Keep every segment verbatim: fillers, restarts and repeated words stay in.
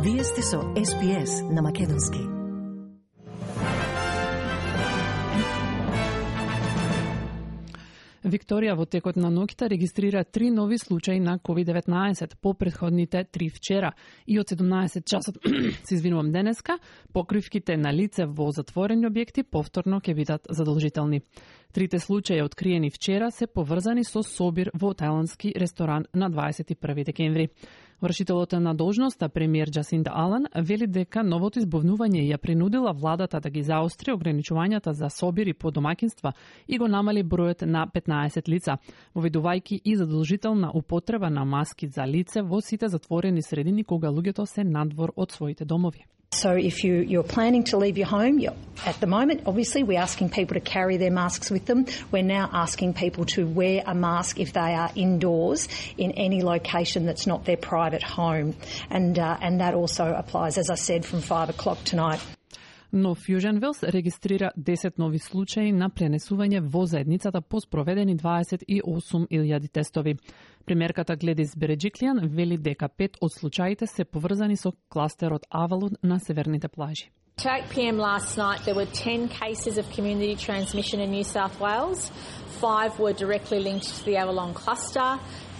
Вие сте со Ес Би Ес на Македонски. Викторија во текот на ноќта регистрира три нови случаи на ковид деветнаесет по претходните три вчера и од седумнаесет часот се извинувам денеска, покривките на лице во затворени објекти повторно ќе бидат задолжителни. Трите случаи откриени вчера се поврзани со собир во тајландски ресторан на дваесет и први декември. Вршителот на должноста премиер Джасинда Алан вели дека новото избовнување ја принудила владата да ги заостри ограничувањата за собири по домаќинства и го намали бројот на петнаесет лица, воведувајќи и задолжителна употреба на маски за лице во сите затворени средини кога луѓето се надвор од своите домови. So if you, you're planning to leave your home, you're, at the moment, obviously, we're asking people to carry their masks with them. We're now asking people to wear a mask if they are indoors in any location that's not their private home. And, uh, and that also applies, as I said, from five o'clock tonight. Но Fusion Wells регистрира десет нови случаи на пренесување во заедницата по спроведени дваесет и осум илјади тестови. Премиерката Гледис Береджиклијан вели дека пет од случаите се поврзани со кластерот Авалон на северните плажи. To eight p m last night, there were ten cases of community transmission in New South Wales. Five were directly linked to the Avalon cluster.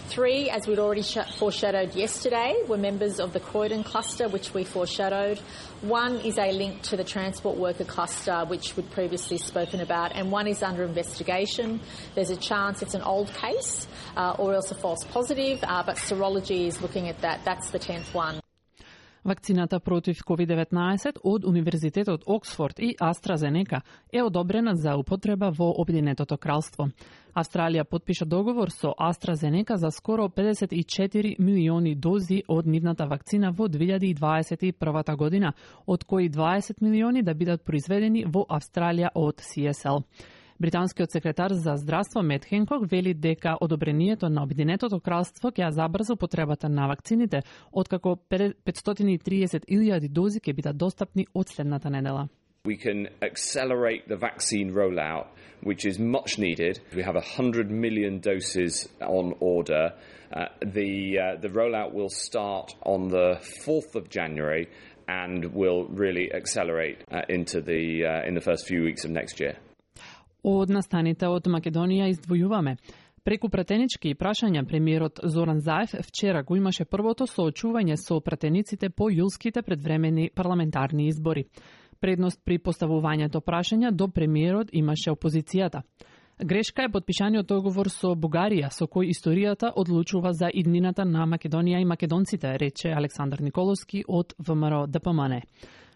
Three, as we'd already foreshadowed yesterday, were members of the Croydon cluster, which we foreshadowed. One is a link to the transport worker cluster, which we'd previously spoken about, and one is under investigation. There's a chance it's an old case uh, or else a false positive, uh, but serology is looking at that. That's the tenth one. Вакцината против ковид деветнаесет од Универзитетот Оксфорд и AstraZeneca е одобрена за употреба во Обединетото кралство. Австралија потпиша договор со AstraZeneca за скоро педесет и четири милиони дози од нивната вакцина во две илјади дваесет и прва година, од кои дваесет милиони да бидат произведени во Австралија од Си Ес Ел. Британскиот секретар за здравство Мет Хенкок вели дека одобрението на Обединетото кралство ќе ја забрза употребата на вакцините, откако петстотини и триесет илјади дози ќе бидат достапни од следната недела. We can accelerate the vaccine rollout, which is much needed. We have one hundred million doses on order. Uh, the uh, the rollout will start on the fourth of January and will really accelerate uh, into the uh, in the first few weeks of next year. Од настаните од Македонија издвојуваме. Преку пратенички прашања премиерот Зоран Заев вчера го имаше првото соочување со пратениците по јулските предвремени парламентарни избори. Предност при поставувањето прашања до премиерот имаше опозицијата. Грешка е подпишаниот договор со Бугарија, со кој историјата одлучува за иднината на Македонија и македонците, рече Александар Николовски од Вэ Ем Ер Де Пе Ем Ен.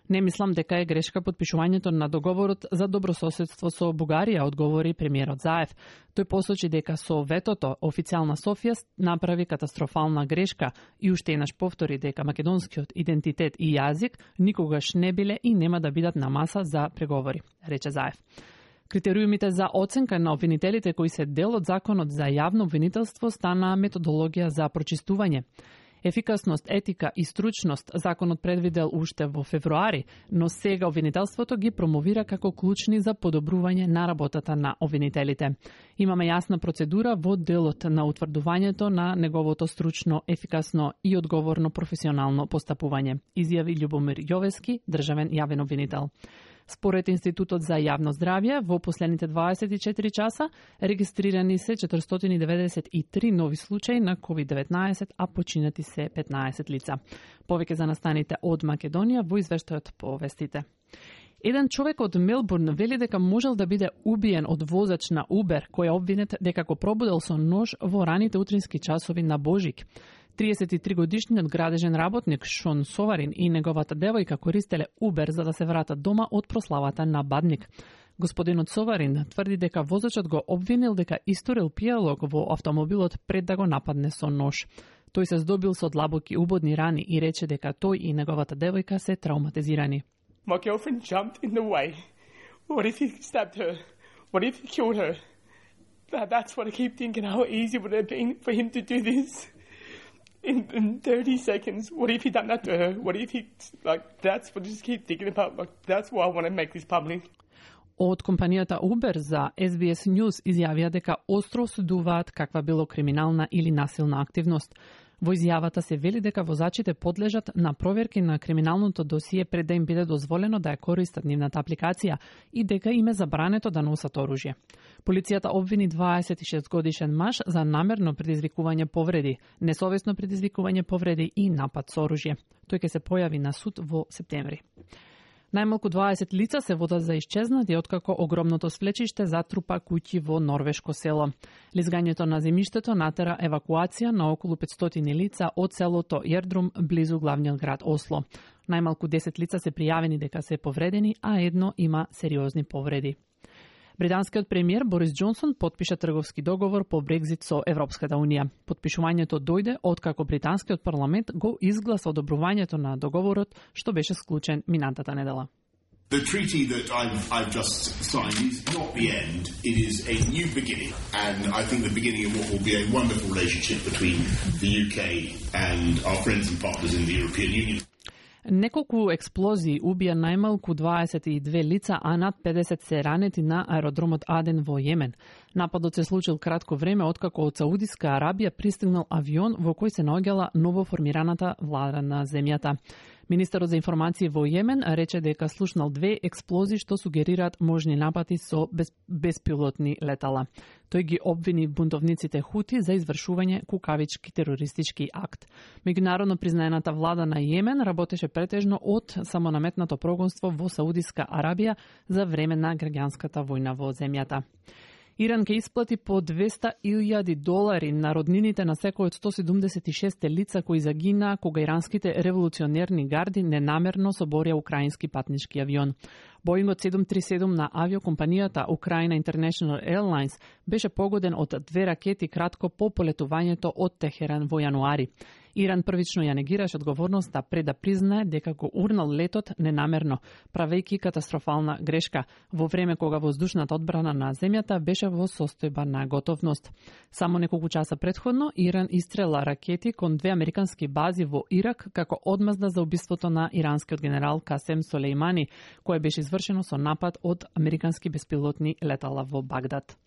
Не мислам дека е грешка подпишувањето на договорот за добрососедство со Бугарија, одговори премиерот Заев. Тој посочи дека со ветото официјална Софија направи катастрофална грешка и уште еднаш повтори дека македонскиот идентитет и јазик никогаш не биле и нема да бидат на маса за преговори, рече Заев. Критериумите за оценка на обвинителите кои се дел од законот за јавно обвинителство стана методологија за прочистување. Ефикасност, етика и стручност законот предвидел уште во февруари, но сега обвинителството ги промовира како клучни за подобрување на работата на обвинителите. Имаме јасна процедура во делот на утврдувањето на неговото стручно, ефикасно и одговорно професионално постапување, изјави Љубомир Јовески, државен јавен обвинител. Според Институтот за јавно здравје, во последните дваесет и четири часа регистрирани се четиристотини деветдесет и три нови случаи на ковид деветнаесет, а починати се петнаесет лица. Повеќе за настаните од Македонија во извештајот по вестите. Еден човек од Мелбурн вели дека можел да биде убиен од возач на Убер, кој е обвинет дека го пробудел со нож во раните утрински часови на Божик. триесет и три годишниот градежен работник Шон Соварин и неговата девојка користеле Убер за да се вратат дома од прославата на Бадник. Господинот Соварин тврди дека возачот го обвинил дека историл пијалок во автомобилот пред да го нападне со нож. Тој се здобил со длабоки убодни рани и рече дека тој и неговата девојка се травматизирани. My girlfriend jumped in the way. What if he stabbed her? What if he killed her? That, that's what I keep thinking. How easy would it have been for him to do this? In, in thirty seconds, what if he done that to her? What if he, like, that's what I just keep thinking about. Like, that's why I want to make this public. Од компанијата Uber за Ес Би Ес News изјавија дека остро осудуваат каква било криминална или насилна активност. Во изјавата се вели дека возачите подлежат на проверки на криминалното досие пред да им биде дозволено да ја користат нивната апликација и дека им е забрането да носат оружје. Полицијата обвини дваесет и шест годишен маж за намерно предизвикување повреди, несовесно предизвикување повреди и напад со оружје. Тој ќе се појави на суд во септември. Најмалку дваесет лица се водат за исчезнати откако огромното свлечиште затрупа куќи во норвешко село. Лизгањето на земјиштето натера евакуација на околу петстотини лица од селото Јердрум близу главниот град Осло. Најмалку десет лица се пријавени дека се повредени, а едно има сериозни повреди. Британскиот премиер Борис Џонсон потпиша трговски договор по Брекзит со Европската Унија. Потпишувањето дојде откако британскиот парламент го изгласа одобрувањето на договорот што беше склучен минатата недела. The treaty that I've, I've just signed is not the end, it is a new beginning, and I think the beginning of what will be a wonderful relationship between the U K and our friends and partners in the European Union. Неколку експлозии убија најмалку дваесет и две лица, а над педесет се ранети на аеродромот Аден во Јемен. Нападот се случил кратко време откако од Саудиска Арабија пристигнал авион во кој се наоѓала новоформираната влада на земјата. Министерот за информации во Јемен рече дека слушнал две експлозии што сугерираат можни напади со без, беспилотни летала. Тој ги обвини бунтовниците Хути за извршување кукавички терористички акт. Меѓународно признаената влада на Јемен работеше претежно од самонаметнато прогонство во Саудиска Арабија за време на граѓанската војна во земјата. Иран ќе исплати по двеста илјади долари на роднините на секој од сто седумдесет и шест лица кои загинаа кога иранските револуционерни гарди ненамерно соборија украински патнички авион. Боингот седум три седум на авиокомпанијата Украина International Airlines беше погоден од две ракети кратко по полетувањето од Техеран во јануари. Иран првично ја негираше одговорноста пред да признае дека го урнал летот ненамерно, правејќи катастрофална грешка, во време кога воздушната одбрана на земјата беше во состојба на готовност. Само неколку часа предходно Иран истрела ракети кон две американски бази во Ирак како одмазда за убиството на иранскиот генерал Касем Солејмани, кое беше извршено со напад од американски беспилотни летала во Багдад.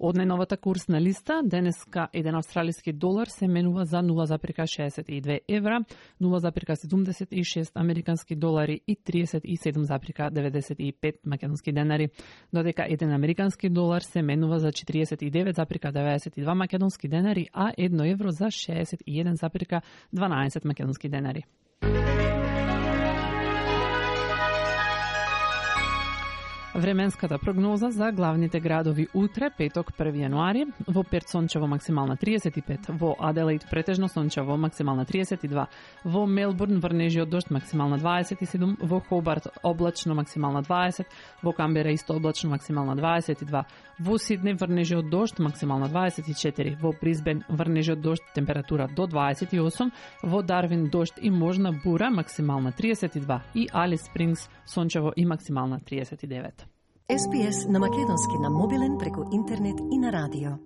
Од најновата курсна листа, денеска еден австралиски долар се менува за нула запирка шеесет и две евра, нула запирка седумдесет и шест американски долари и триесет и седум запирка деветдесет и пет македонски денари, додека еден американски долар се менува за четириесет и девет запирка деветдесет и два македонски денари, а едно евро за шеесет и еден запирка дванаесет македонски денари. Временската прогноза за главните градови утре, петок, први јануари, во Перт сончево максимална триесет и пет, во Аделаид претежно сончево максимална триесет и два, во Мелбурн врнежи од дожд максимална дваесет и седум, во Хобарт облачно максимална дваесет, во Камбера исто облачно максимална дваесет и два, во Сиднеј врнежи од дожд максимална дваесет и четири, во Брисбен врнежи од дожд температура до дваесет и осум, во Дарвин дожд и можна бура максимална триесет и два и Алис Спрингс сончево и максимална триесет и девет. Ес Би Ес на македонски на мобилен преку интернет и на радио.